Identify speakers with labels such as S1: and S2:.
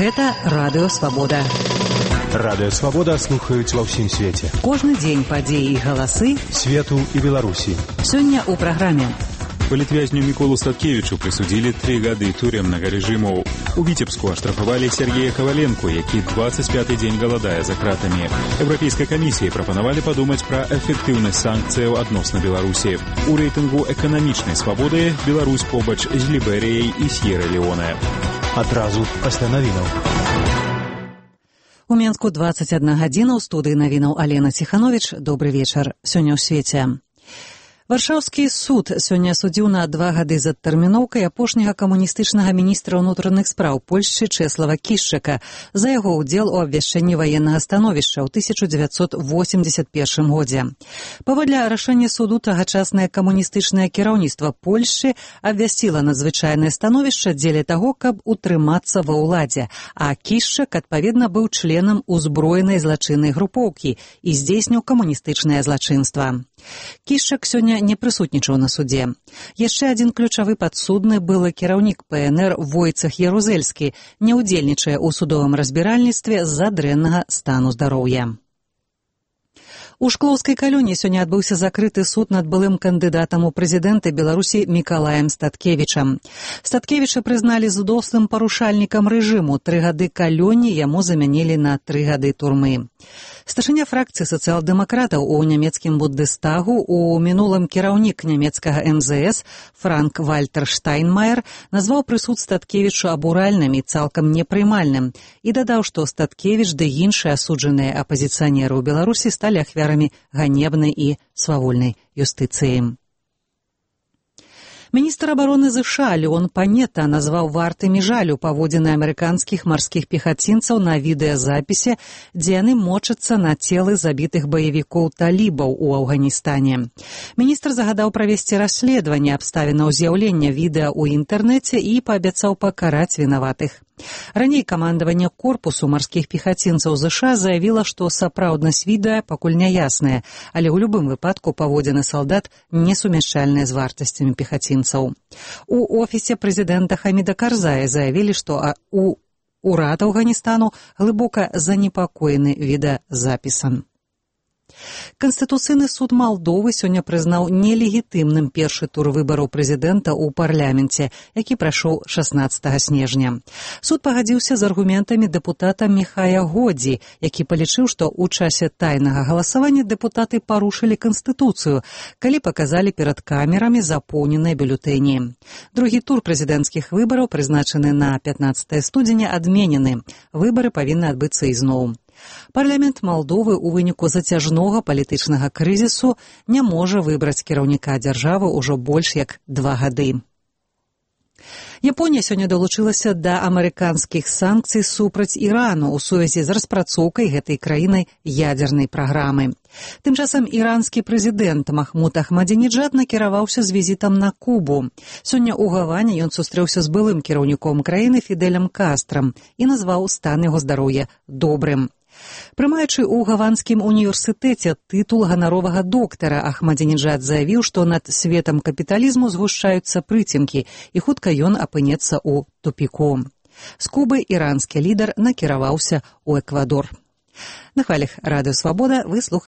S1: Гэта Радыё Свабода.
S2: Радыё Свабода слухаюць ва ўсім свеце.
S1: Кожны дзень падзеі і галасы
S2: свету і Беларусі.
S1: Сёння ў праграме.
S3: Палітвязню Міколу Статкевічу прысудзілі 3 гады турэмнага рэжыму. У Віцебску аштрафавалі Сергея Каваленко, які 25-й дзень галадае за кратамі. Еўрапейскай камісіі прапанавалі падумаць пра эфектыўнасць санкцыяў адносна Беларусі. У рэйтынгу эканамічнай свабоды Беларусь побач з Ліберыяй і С'ера-Леоне.
S2: Адразу пасля навінаў.
S1: У Менску 21 гадзіна, у студыі навінаў Алена Ціхановіч. Добры вечар. Сёння ў свеце. Варшаўскі суд сёння судзіў на 2 гады з адтэрміноўкай апошняга камуністычнага міністра ўнутраных спраў Польшчы Чэслава Кішчака за яго ўдзел у абвяшчэнні ваеннага становішча ў 1981 годзе. Паводле рашэння суду тагачаснае камуністычнае кіраўніцтва Польшчы абвясціла надзвычайнае становішча дзеля таго, каб утрымацца ва ўладзе, а Кішчак, адпаведна, быў членам узброенай злачыннай групоўкі і здзейсніў камуністычнае злачынства. Кішчак сёння не прысутнічаў на судзе. Яшчэ адзін ключавы падсудны былы кіраўнік ПНР Войцах Ярузельскі не ўдзельнічае ў судовым разбіральніцтве з-за дрэннага стану здароўя. У Шклоўскай калоніі сёння адбыўся закрыты суд над былым кандыдатам у прэзідэнты Беларусі Мікалаем Статкевічам. Статкевіча прызналі злосным парушальнікам рэжыму. 3 гады калоніі яму замянілі на 3 гады турмы. Старшыня фракцыі сацыял-дэмакратаў у нямецкім Бундестагу, у мінулым кіраўнік нямецкага МЗС Франк Вальтер Штайнмаер назваў прысуд Статкевічу абуральным і цалкам непрымальным і дадаў, што Статкевіч ды іншыя асуджаныя апазіцыянеры ў Беларусі сталі ахвярамі ганебнай і свавольнай юстыцыі. Міністр абароны ЗША Леон Панета назваў вартымі жалю паводзіны амерыканскіх марскіх пехацінцаў на відэазапісе, дзе яны мочацца на целы забітых баевікоў талібаў у Афганістане. Міністр загадаў правесці расследаванне абставінаў з'яўлення відэа ў інтэрнэце і паабяцаў пакараць вінаватых. Раней камандаванне корпусу марскіх пехацінцаў ЗША заявіла, што сапраўднасць відэа пакуль няясная, але ў любым выпадку паводзіны салдат несумяшчальныя з вартасцямі пехацінцаў. У офісе прэзідэнта Хаміда Карзая заявілі, што урад Афганістану глыбока занепакоены відэазапісам. Канстытуцыйны суд Малдовы сёння прызнаў нелегітымным першы тур выбараў прэзідэнта ў парламенце, які прайшоў 16 снежня. Суд пагадзіўся з аргументамі дэпутата Міхая Годзі, які палічыў, што ў часе тайнага галасавання дэпутаты парушылі канстытуцыю, калі паказалі перад камерамі запоўненыя бюлетэні. Другі тур прэзідэнцкіх выбараў, прызначаны на 15 студзеня, адменены. Выбары павінны адбыцца ізноў. Парламент Малдовы ў выніку зацяжнога палітычнага крызісу не можа выбраць кіраўніка дзяржавы ўжо больш як 2 гады. Японія сёння далучылася да амерыканскіх санкцый супраць Ірану ў сувязі з распрацоўкай гэтай краінай ядзернай праграмы. Тым часам іранскі прэзідэнт Махмуд Ахмадзінеджад накіраваўся з візітам на Кубу. Сёння ў Гаване ён сустрэўся з былым кіраўніком краіны Фідэлем Кастрам і назваў стан яго здароўя добрым. Прымаючы ў Гаванскім універсітэце тытул ганаровага доктара, Ахмадзінеджад заявіў, што над светам капіталізму згушчаюцца прыцемкі, і хутка ён апынецца ў тупіку. З Кубы іранскі лідар накіраваўся ў Эквадор. На хвалях Радыё Свабода вы слухаеце